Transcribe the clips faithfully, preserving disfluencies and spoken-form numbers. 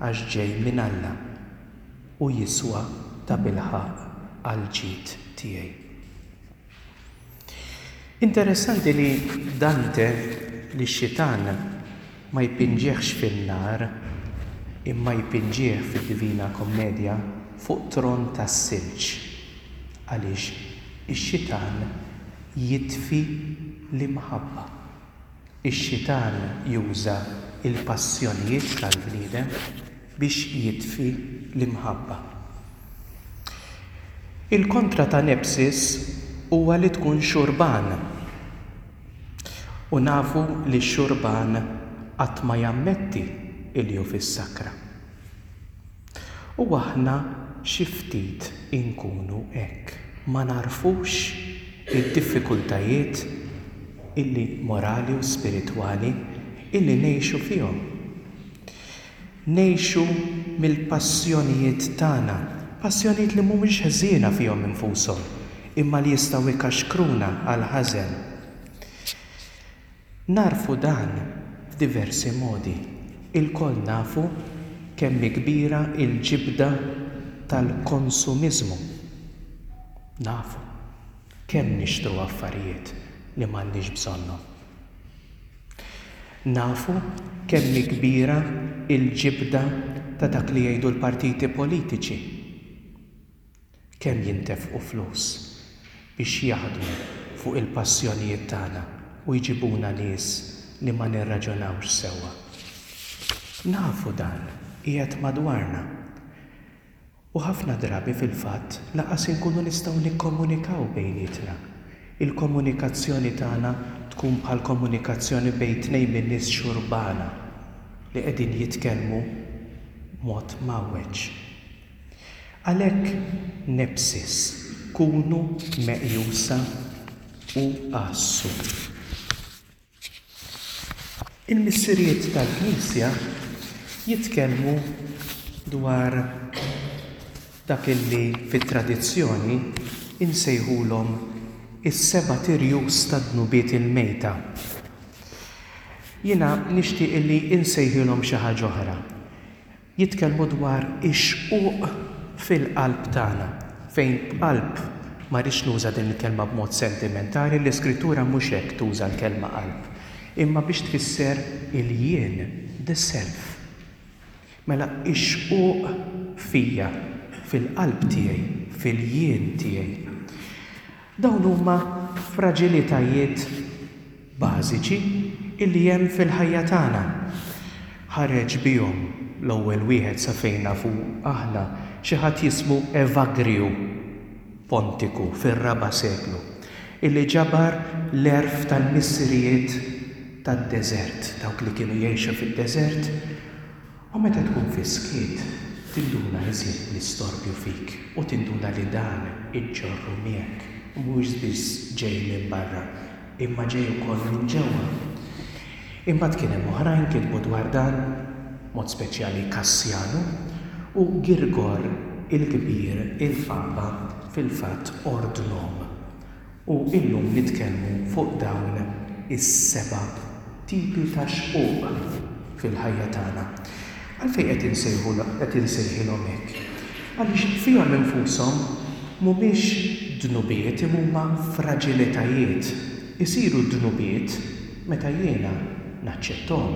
għax ġej minn Alla u jiswa tabilħaqq għall-ġid tiegħi. Interessanti li Dante lix-xitan ma jpinġihx fin-nar, imma jpinġih fid-Divina Kommedja fuq tron tas-silġ, għaliex ix-xitan jitfi l-imħabba. Ix-xitan juża l-passjonijiet tal-bniedem biex jitfi l-imħabba. Il-kontra ta' nepsis huwa li tkun xurban. U nafu li x-xurban qatt ma jammetti li hu fis-sakra. U aħna xi ftit inkunu hekk, ma nagħrfux id-diffikultajiet illi morali u spiritwali illi ngħixu fihom. Ngħixu mill-passjonijiet tagħna, passjonijiet li mhumiex ħżiena fihom infushom, imma li jistgħu jkaxkruna għall-ħażen. Nagħrfu dan f'diversi modi. Ilkoll nafu kemm hi kbira l-ġibda tal-konsumiżmu. Nafu kemm nixtru affarijiet li m'għandniex bżonnhom. Nafu kemm hi kbira l-ġibda ta' dak li jgħidu l-partiti politiċi. Kemm jintefqu flus biex jaħdmu fuq il-passjonijiet tagħna u jġibuna nies li ma nirraġunawx sewwa. Nafu dan qiegħed madwarna. U ħafna drabi fil-fatt lanqas inkunu nistgħu nikkomunikaw bejnietna. Il-komunikazzjoni tagħna tkun bħal komunikazzjoni bejn tnejn minn nies xurbana li qegħdin jitkellmu b'mod mgħawweġ. Għalhekk nepsis, kunu meqjusa u għassu. Il-missirijiet tal-Knisja jitkellmu dwar dak illi fit-tradizzjoni insejħulhom is-seba' tirjus tad-dnubiet il-mejta. Jiena nixtieq illi insejħilhom xi ħaġa oħra. Jitkellmu dwar ix-xquq fil-qalb tagħna, fejn b'qalb ma rridx nuża din il-kelma b'mod sentimentali, l-Iskrittura mhux hekk tuża l-kelma qalb, imma biex tfisser il-jien, the self. Mela ix-xquq fija, fil-qalb tiegħi, fil-jien tiegħi. Dawn huma fraġilitajiet bażiċi illi hemm fil-ħajja tagħna. Ħareġ bihom l-ewwel wieħed sa fejn nafu aħna xi ħadd jismu Evagriju Pontiku fir-raba' seklu, illi ġabar l-għerf tal-missirijiet tad-deżert, dawk li kienu jgħixu fid-deżert. U meta tkun fis-skiet tinduna iżjed bl-istorbju fik u tinduna li dan iġġorru miegħek u mhuwiex biss ġej minn barra, imma ġej ukoll minn ġewwa. Imbagħad kien hemm oħrajn kitbu dwar dan, mod speċjali Kassjanu u Girgor il-Kbir, il-Papa, fil-fatt ordnhom. U illum nitkellmu fuq dawn is-seba' tipi ta' xquq fil-ħajja tagħna. Għalfejn qed insejħu qed insejħilhom hekk? Għaliex fihom infushom mhumiex dnubiet, imma huma fraġilitajiet. Isiru dnubiet meta jiena naċċetthom,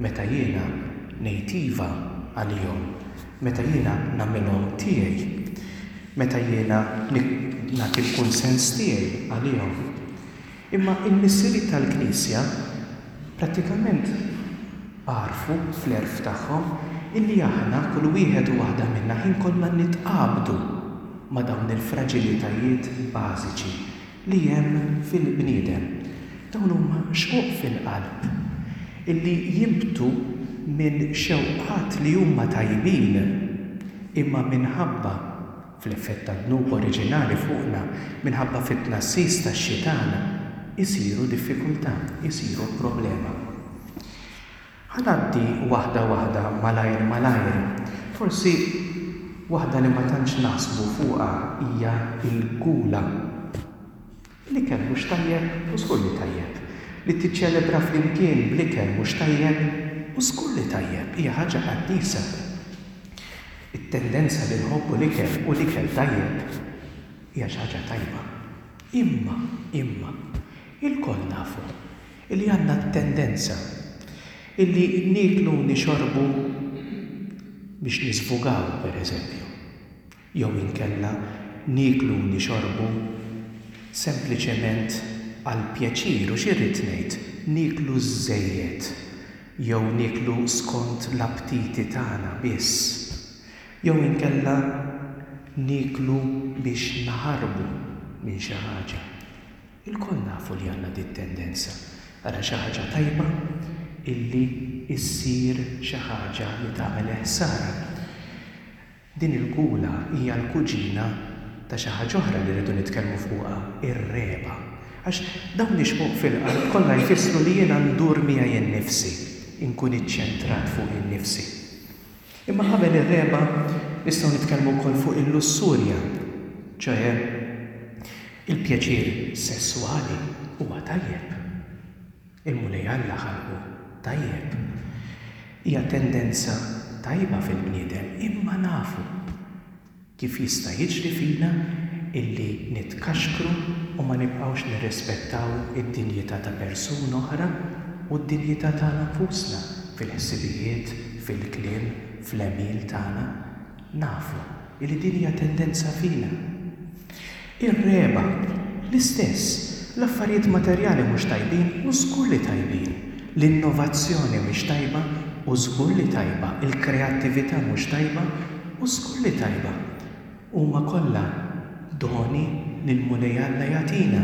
meta jiena ngħid iva għalihom, meta jiena nagħmilhom tiegħi, meta jiena nagħti l-kunsens tiegħi għalihom. Imma il-missirijiet tal-Knisja prattikament għarfu fl-għerf tagħhom illi aħna kull wieħed u waħda minna ħin kollha nitqabdu ma' dawn il-fraġilitajiet bażiċi li hemm fil-bniedem. Dawn huma xquq fil-qalb illi jinbtu minn xewqat li huma tajbin, imma minħabba fl-effett tad-dnub oriġinali fuqna, minħabba fit-tnassis tax-xitan, isiru diffikultà, isiru problema. Ħa ngħaddi waħda waħda malajr malajr. Forsi waħda li ma tantx naħsbu fuqha hija l-gula. L-ikel mhux tajjeb u żgur li tajjeb. Li tiċċelebra flimkien bl-ikel mhux tajjeb U żgur li tajjeb, hija ħaġa qaddisa. It-tendenza li nħobbu l-ikel u l-ikel tajjeb hija xi ħaġa tajba. Imma, imma, ilkoll nafu illi għandna t-tendenza illi nieklu u nixorbu biex nisvugaw, per eżempju. Jew inkella nieklu u nixorbu sempliċement għall-pjaċir, u xi rrid ngħid, nieklu żżejjed jew nieklu skont l-aptiti tagħna biss. Jew inkella nieklu biex naħarbu minn xi ħaġa. Ilkoll nafu li għandna dit tendenza. Ara xi ħaġa tajba illi issir xi ħaġa li tagħmel ħsara. Din il-gula hija l-kuġina ta' xi ħaġa oħra li rridu nitkellmu fuqha, ir-regħba. Għax dawn ix-xquq fil-qalb kollha jfissru li jiena ndur miegħi nnifsi, inkun iċċentrat fuq innifsi. Imma qabel ir-regħba nistgħu nitkellmu wkoll fuq il-lussurja, ċoè il-pjaċir sesswali huwa tajjeb. Il-Mulej Alla ħalqu tajjeb. Hija tendenza tajba fil-bniedem, imma nafu kif jista' jiġri fina illi nitkaxkru u ma nibqgħux nirrispettaw id-dinjità ta' persuna oħra u d-dinjità tagħna nfusna fil-ħsibijiet, fil-kliem, fl-għemil tagħna. Nafu illi din hija tendenza fina. Ir-regħba, l-istess, l-affarijiet materjali mhux tajbin u żgur li tajbin. L-innovazzjoni mhix tajba u żgur li tajba. Il-kreattività mhux tajba u żgur li tajba. Huma kollha doni li l-Mulej Alla jagħtina.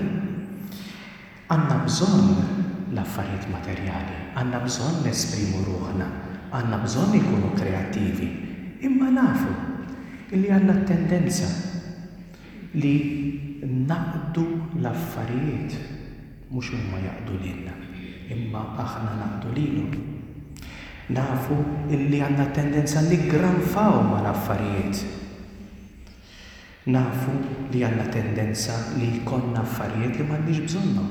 Għandna bżonn l-affarijiet materjali, għandna bżonn nesprimu ruħna, għandna bżonn ikunu kreattivi, imma nafu illi għandna tendenza li naqdu l-affarijiet, mhux huma jaqdu lilna, imma aħna naqdu lilhom. Nafu illi għandna tendenza niggranfaw mal-affarijiet. Nafu li għandna tendenza li jkollna affarijiet li m'għandniex bżonnhom.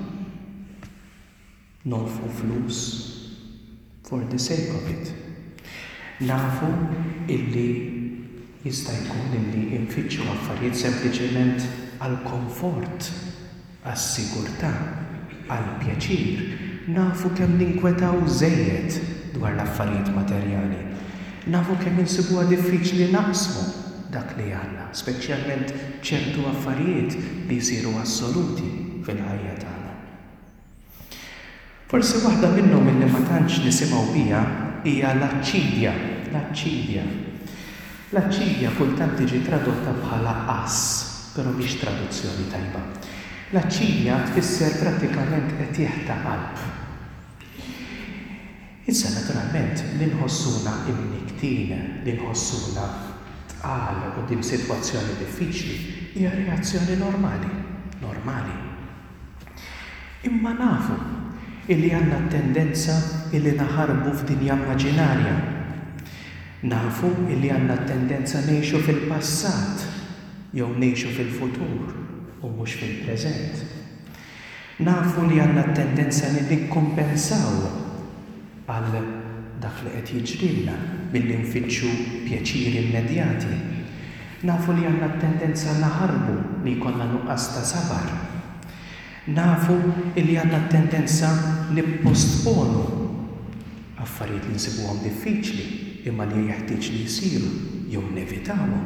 Nonfqu flus for the sake of it. Nafu illi jista' jkun illi nfittxu affarijiet sempliċement għall-komfort, għas-sigurtà, għall-pjaċir. Nafu kemm ninkwetaw żejjed dwar l-affarijiet materjali. Nafu kemm insibuha diffiċli naqsmu dak li għandna, speċjalment ċertu affarijiet li jsiru assoluti fil-ħajja tagħna. Forsi waħda minnhom illi ma tantx nisimgħu biha hija l-aċċidja, l-aċċidja. L-aċċidja kultant tiġi tradotta bħala għażż, però mhix traduzzjoni tajba. L-aċċidja tfisser prattikament qtigħ ta' qalb. Issa naturalment li nħossuna imnikktin, li nħossuna tqal quddiem sitwazzjoni diffiċli hija reazzjoni normali, normali. Imma nafu illi għandna tendenza illi naħarbu f'dinja immaġinarja. Nafu illi għandna tendenza ngħixu fil-passat jew ngħixu fil-futur u mhux fil-preżent. Nafu li għandna tendenza li nikkompensaw għal dak li qed jiġrilna billi nfittxu pjaċiri immedjati. Nafu li għandna tendenza naħarbu li jkollna nuqqas ta' sabar. Nafu li għandna tendenza nippostponu affarijiet li nsibuhom diffiċli imma li jeħtieġ li jsiru jew nevitawhom.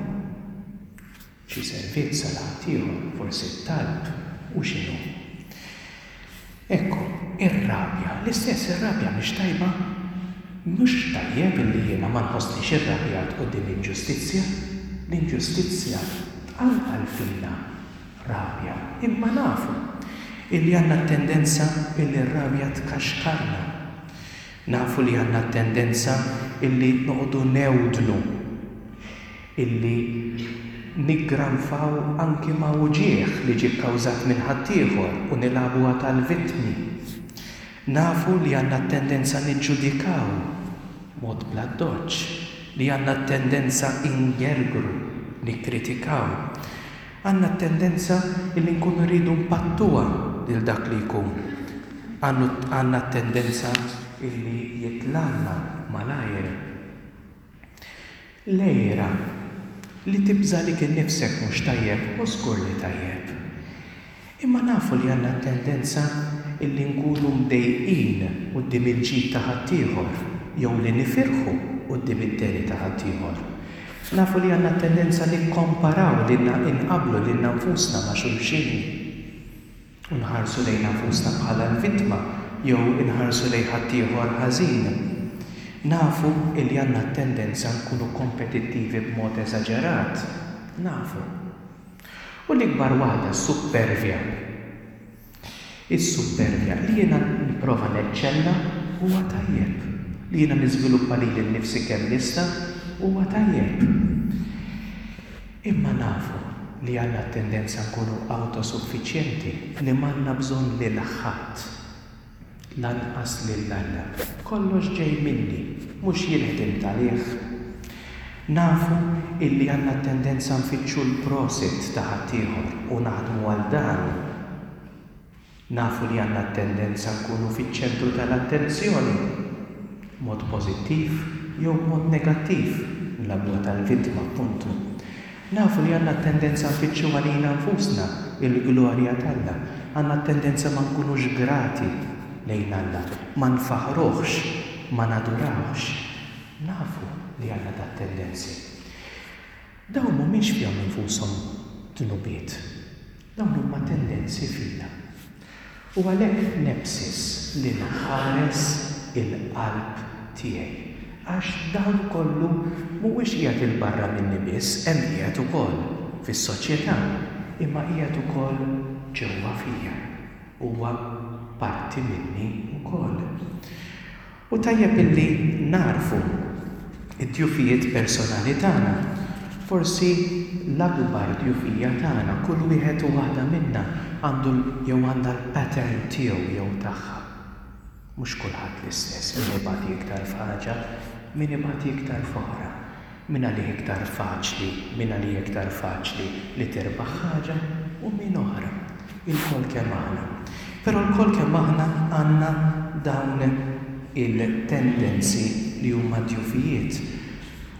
Xi servizz għal ħaddieħor, forsi t-talb u x'inhu. Ekku, ir-rabja, l-istess ir-rabja mhix tajba. Mhux tajjeb illi jiena ma nħossnix irrabjat quddiem l-inġustizzja. L-inġustizzja tqanqal fina rabja, imma nafu illi għandna tendenza illi r-rabja tkaxkarna. Nafu li għandna tendenza illi noqogħdu newdnu, illi niggranfaw anki ma' uġigħ li ġie kkawżat minn ħaddieħor u nilagħbuha tal-vittmi. Nafu li għandna tendenza niġġudikaw mod bla doċ, li għandna tendenza ingergru, nikkritikaw. Għandna tendenza illi nkunu rridu npattuha lil dak li jkun. Għandna tendenza illi jitlagħlna malajr. L-għira, li tibża' għalik innifsek mhux tajjeb, u żgur li tajjeb. Imma nafu li għandna t-tendenza illi nkunu mdejqin quddiem il-ġid ta' ħaddieħor jew li nifirħu quddiem id-deni ta' ħaddieħor. Nafu li għandna t-tendenza nikkomparaw lilna inqabblu lilna nfusna ma' xulxin. U nħarsu lejna nfusna bħala l-vittma jew inħarsu lejn ħaddieħor ħażin. Nafu illi għandna t-tendenza nkunu kompetittivi b'mod eżaġerat. Nafu. U l-ikbar waħda, s-suppervja. Is-suppervja li jiena nipprova neċċella huwa tajjeb. Li jiena niżviluppa lili nnifsi kemm nista' huwa tajjeb. Imma nafu li għandna t-tendenza nkunu awtosuffiċjenti, li m'għandna bżonn lil ħadd, lanqas lil Alla. Kollox ġej minni, mhux jien ħdimt għalih. Nafu illi għandna t-tendenza nfittxu l-prosit ta' ħaddieħor u naħdmu għal dan. Nafu li għandna t-tendenza nkunu fiċ-ċentru tal-attenzjoni, b'mod pożittiv jew b'mod negattiv, nilagħbuha tal-vittma appuntu. Nafu li għandna t-tendenza nfittxu għalina nfusna il-glorja t'Alla. Għandna t-tendenza ma nkunux grati lejn Alla, ma nfaħruhx, ma nadurawhx. Nafu li għandna dat tendenzi. Dawn mhumiex fihom infushom dnubiet. Dawn huma tendenzi fina. U għalhekk nepsis li nħares il-qalb tiegħi. Għax dan kollu mhuwiex qiegħed 'il barra minni biss, hemm qiegħed ukoll fis-soċjetà, imma qiegħed ukoll ġewwa fija. Huwa parti minni wkoll. U tajjeb illi narfu id-djufijiet personali tagħna. Forsi l-akbar djufija tagħna, kull wieħed u waħda minna għandu jew għandha l-pattern tiegħu jew tagħha. Mhux kulħadd l-istess, min ibati iktar f'ħaġa, min ibati iktar f'oħra. Min għalih iktar faċli, min għalih iktar faċli li tirbaħ ħaġa u min oħra. Ilkoll kemm aħna. Però lkoll kemm aħna għandna dawn il-tendenzi li huma djufijiet.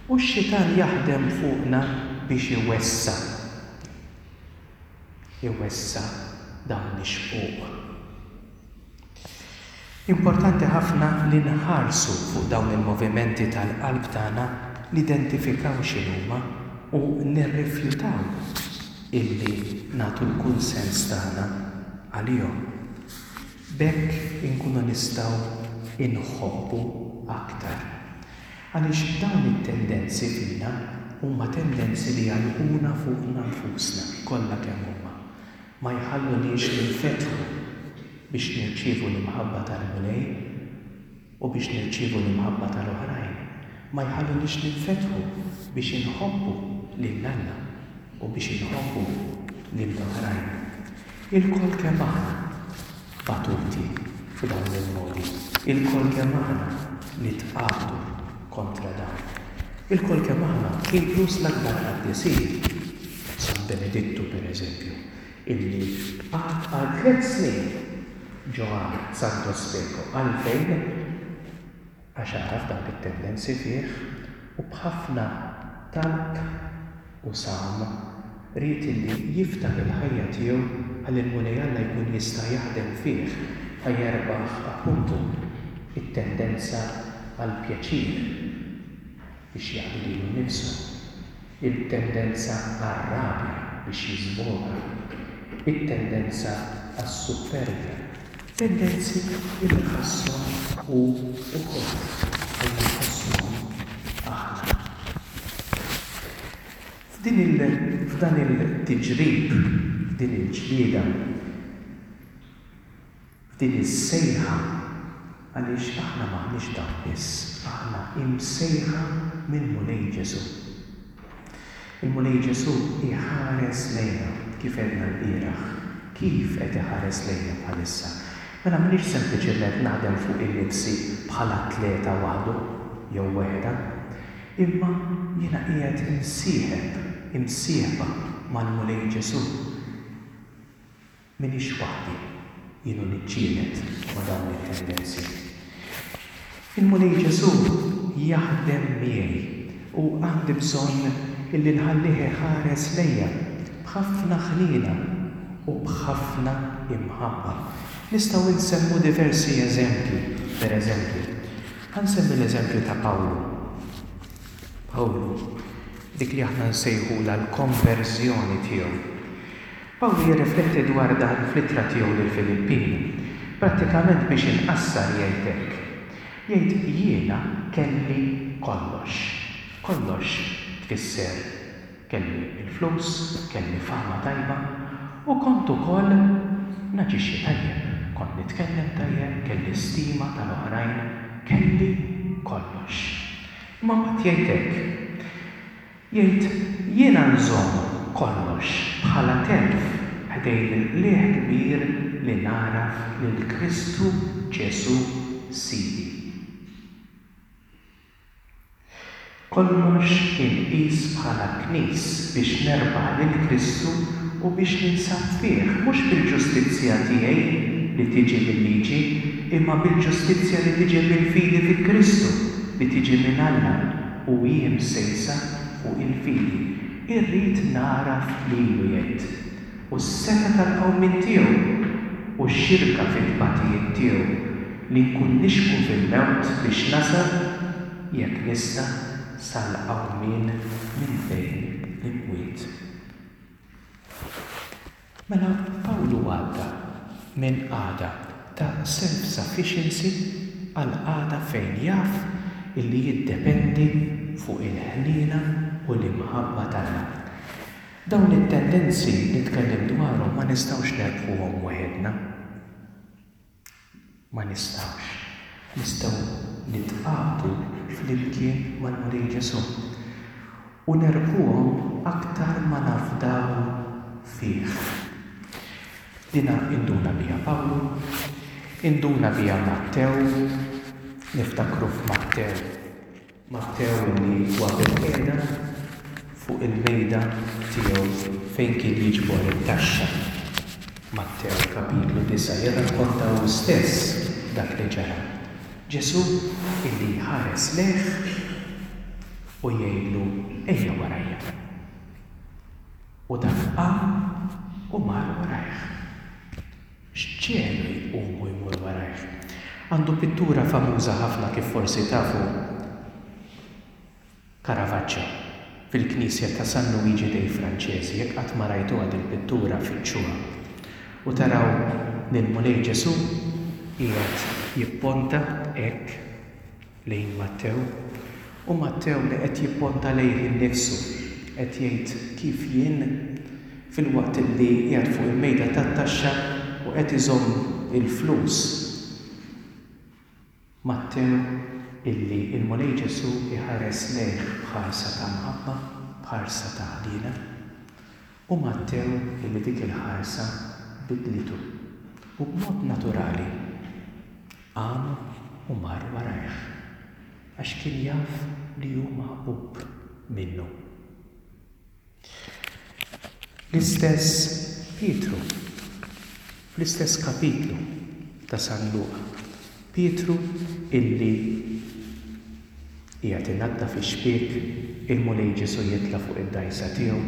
U x-xitan jaħdem fuqna biex iwessa'. Iwessa' dawn ix-xquq. Importanti ħafna li nħarsu fuq dawn il-movimenti tal-qalb tagħna, nidentifikaw x'inhuma u nirrifjutaw illi nagħtu l-kunsens tagħna għalihom. B'hekk inkunu nistgħu inħobbu aktar. Għaliex dawn it-tendenzi fina huma tendenzi li jagħlquna fuqna nfusna kollha kemm huma. Ma jħalluniex ninfetħu biex nirċievu l-imħabba tal-Mulej u biex nirċievu l-imħabba tal-oħrajn. Ma jħalluniex ninfetħu biex inħobbu lil Alla u biex inħobbu lill-oħrajn. Ilkoll kemm aħna batuti f'dawn il-modi. Ilkoll kemm aħna nitqabdu kontra dawn. Ilkoll kemm aħna, inkluż l-akbar qaddisin, San Benedittu per eżempju, illi qagħad għal tliet snin ġo għar Santo Speco. Għalfejn? Għax għaraf dawk it-tendenzi fih u b'ħafna talb u sawm ried illi jiftaħ il-ħajja tiegħu ħalli l-Mulej Alla jkun jista' jaħdem fih ħa jerbaħ appuntu it-tendenza għal pjaċir biex jaqdi lilu nnifsu, il-tendenza għar-rabja biex jiżvoga, it-tendenza għas-suppervja, tendenzi li ħasshom hu wkoll u li nħossuhom aħna. F'din il-, f'dan il-tiġrib, f'din il-ġlieda, f'din is-sejħa, għaliex aħna m'aħniex dawn biss, aħna imsejħa mill-Mulej Ġesù. Il-Mulej Ġesù iħares lejna kif għedna l-bieraħ, kif qed iħares lejna bħalissa. Mela m'iniex sempliċement naħdem fuq in-nifsi bħala atleta waħdu jew waħedha, imma jiena qiegħed imsieħeb, imsieħba mal-Mulej Ġesù. M'iniex waħdi, jienu niġġieled ma' dawn it-tendenzi. Il-Mulej Ġesù jaħdem miegħi u għandi bżonn illi nħallih iħares lejja b'ħafna ħniena u b'ħafna imħabba. Nistgħu nsemmu diversi eżempji, per eżempju. Ħa nsemmi l-eżempju ta' Pawlu. Pawlu, dik li aħna nsejħulha l-konverżjoni tiegħu. Pawlu jirrifletti dwar dan fl-ittra tiegħu lill-Filippin. Prattikament biex inqassar jgħid hekk. Jgħid jiena kelli kollox. Kollox tfisser kelli il-flus, kelli fama tajba u kont ukoll naġixxi tajjeb. Kont nitkellem tajjeb, kelli stima tal-oħrajn, kelli kollox. Imma mbagħad jgħid hekk. Jgħid jiena nżomm kollox bħala telf ħdejn il-qligħ kbir li nagħraf lil Kristu Ġesù Sidi. Kollox inqis bħala knis biex nerbaħ lil Kristu u biex ninsab fih, mhux bil-ġustizzja tiegħi li tiġi mil-liġi, imma bil-ġustizzja li tiġi mill-fidi fi Kristu, li tiġi minn Alla u hi msejsa fuq il-fidi. Irrid nagħraf lilu jgħid, u s-setgħa tal-qawmien tiegħu u x-xirka fit-tbatijiet tiegħu, li nkun nixbhu fil-mewt biex nasal, jekk nista', sal-qawmien minn bejn l-imwiet. Mela Pawlu għadda minn qagħda ta' self-sufficiency għal qagħda fejn jaf illi jiddependi fuq il-ħniena u l-imħabba t'Alla. Dawn it-tendenzi li tkellimt dwarhom ma nistgħux nerbħuhom waħedna. Ma nistgħux. Nistgħu nitqabdu flimkien mal-Mulej Ġesù u nerbħuhom aktar ma nafdaw fih. Dina induna biha Pawlu, induna biha Mattew, niftakru f'Mattew. Mattew li huwa bil-qiegħda fuq il-mejda tiegħu fejn kien jiġbor it-taxxa. Mattew kapitlu disgħa jirrakkonta hu stess dak li ġara. Ġesù illi jħares lejh u jgħidlu ejja warajja. U dak qam u mar warajh. X'ġelu jqum u jmur warajh? Għandu pittura famuża ħafna kif forsi tafu, Caravaggio, fil-knisja ta' San Luigi dei Francesi. Jekk qatt ma rajtuha dil-pittura, fittxuha. U taraw lil Mulej Ġesù qiegħed jipponta hekk lejn Mattew, u Mattew li qed jipponta lejh innifsu, qed jgħid kif jien fil-waqt li qiegħed fuq il-mejda tat-taxxa u qed iżomm il-flus. Mattew illi il-Mulej Ġesù iħares lejh b'ħarsa ta' mħabba, b'ħarsa ta' ħniena, u Mattew illi dik il-ħarsa bidlitu u b'mod naturali qam u mar warajh għax kien jaf li hu maħbub minnu. L-istess Pietru, fl-istess kapitlu ta' San Luqa, Pietru illi qiegħed inaddaf ix-xbiek, il-Mulej Ġesù jitla' fuq id-dgħajsa tiegħu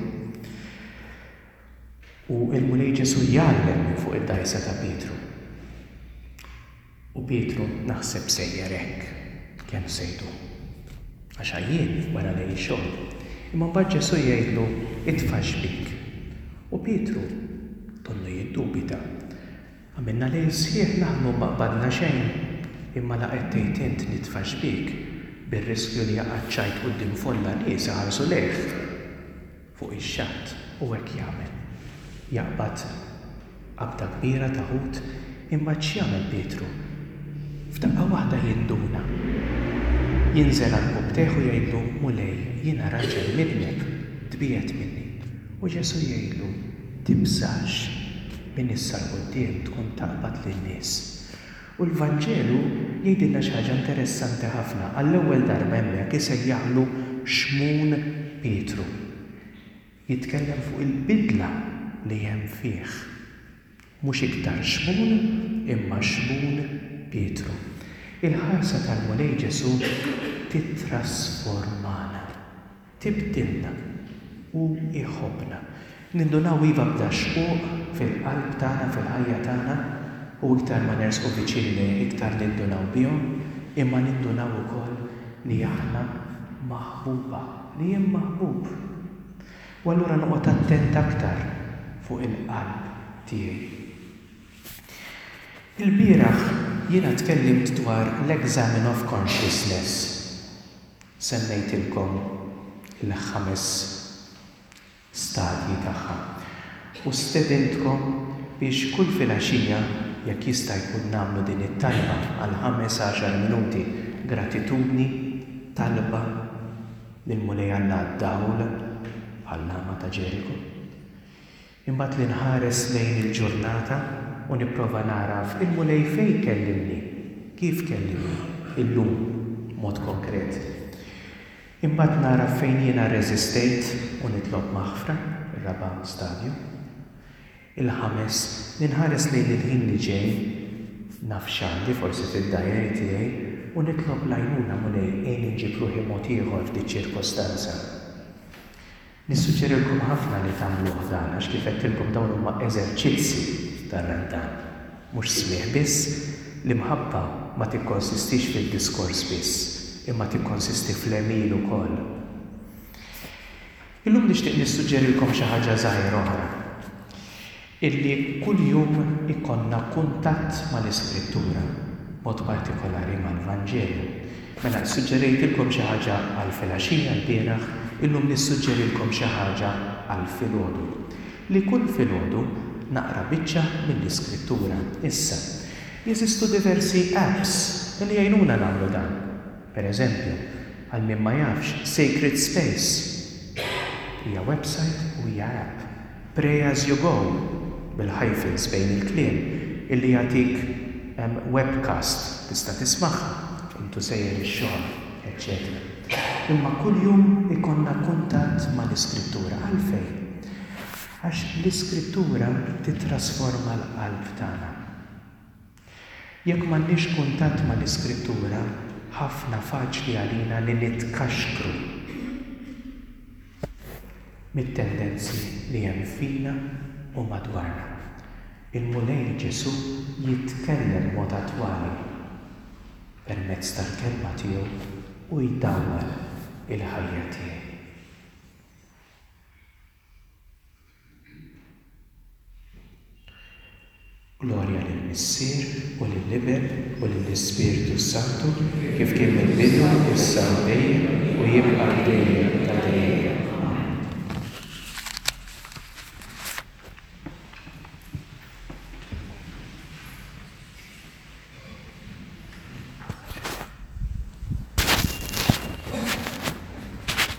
u l-Mulej Ġesù jgħallem minn fuq id-dgħajsa ta' Pietru. U Pietru naħseb sejjer hekk, kemm sejdu, għax għajjien wara lejl xogħol. Imma mbagħad Ġesù jgħidlu itfa' xbiek. U Pietru donnu jiddubita. Għamilna lejl sħiħ naħdmu ma qbadna xejn, imma la qed tgħid int nitfa' xbiek bir-riskju li jaqa' ċ-ċajt quddiem folla nies iħarsu lejh fuq ix-xatt, u hekk jagħmel. Jaqbad qabda kbira ta' ħut, imbagħad x'jagħmel Pietru? F'daqqa waħda jinduna. Jinżel għal rkubbtejh u jgħidlu, Mulej, jiena raġel midneb, tbiegħed minni. U Ġesù jgħidlu, tibżax, minn issa 'l quddiem tkun taqbad lin-nies. U l-Vanġelu jgħidilna xi ħaġa interessanti ħafna. Għall-ewwel darba hemmhekk isejjaħlu Xmun Pietru. Jitkellem fuq il-bidla li hemm fih. Mhux iktar Xmun, imma Xmun Pietru. Il-ħarsa tal-Mulej Ġesù tittrasformana, tibdilna u jħobbna. Nindunaw iva b'dax-xquq fil-qalb tagħna, fil-ħajja tagħna, u iktar ma nersqu viċin lejh iktar nindunaw bihom, imma nindunaw ukoll li aħna maħbuba, li jien maħbub. U allura noqgħod attent aktar fuq il-qalb tiegħi. Il-bieraħ jiena tkellimt dwar l-Examen of Consciousness. Semmejtilkom il-ħames stadji tagħha. U stedintkom biex kull filgħaxija, jekk jista' jkun, nagħmlu din it-talba għal ħames għaxar minuti, gratitudni, talba lill-Mulej Alla d-dawl bħall-lama ta' Ġeriko. Imbagħad li nħares lejn il-ġurnata u nipprova naraf il-Mulej fejn kellimni, kif kellimni illum mod konkret. Imbagħad nara fejn jiena rreżistejt u nitlob maħfra, ir-raba' stadju. Il-ħames, li nħares lejn il-ħin li ġej, naf x'għandi forsi fid-diary tiegħi u nitlob l-għajnuna, Mulej, għinni nġib ruħi mod ieħor f'dik ċirkostanza. Nissuġġerilkom ħafna li tagħmluh dan, għax kif għedtilkom dawn huma eżerċizzi tar-Randan. Mhux smigħ biss, l-imħabba ma tikkonsistix fid-diskors biss, imma tikkonsisti fl-għemil ukoll. Illum nixtieq nissuġġerilkom xi ħaġa żgħira oħra. Illi kuljum ikollna kuntatt mal-Iskrittura, mod partikolari mal-Vanġelu. Mela suġġerejtilkom xi ħaġa għal filgħaxija l-bieraħ, illum nissuġġerilkom xi ħaġa għal filgħodu. Li kull filgħodu naqra biċċa mill-Iskrittura. Issa, jeżistu diversi apps li jgħinuna nagħmlu dan. Per eżempju, għal min ma jafx, Sacred Space hija website u hija app. Pray as you go, bil-hyphens bejn il-kliem, illi jagħtik um, webcast tista' tismagħha intu sejjer ix-xogħol, eċċetera. Imma kuljum ikollna kuntatt mal-Iskrittura. Għalfejn? Għax l-Iskrittura titrasforma l-qalb tagħna. Jekk m'għandniex kuntatt mal-Iskrittura, ħafna faċli għalina li nitkaxkru mit-tendenzi li hemm fina u madwarna. Il-Mulej Ġesù jitkellem mod attwali permezz tal-kelma tiegħu u jdawwal il-ħajja tiegħi. Glorja lill-Missier u lill-Iben u lill-Ispirtu Santu, kif kien mill-bidu, issa u dejjem, u jibqa' dejjem ta'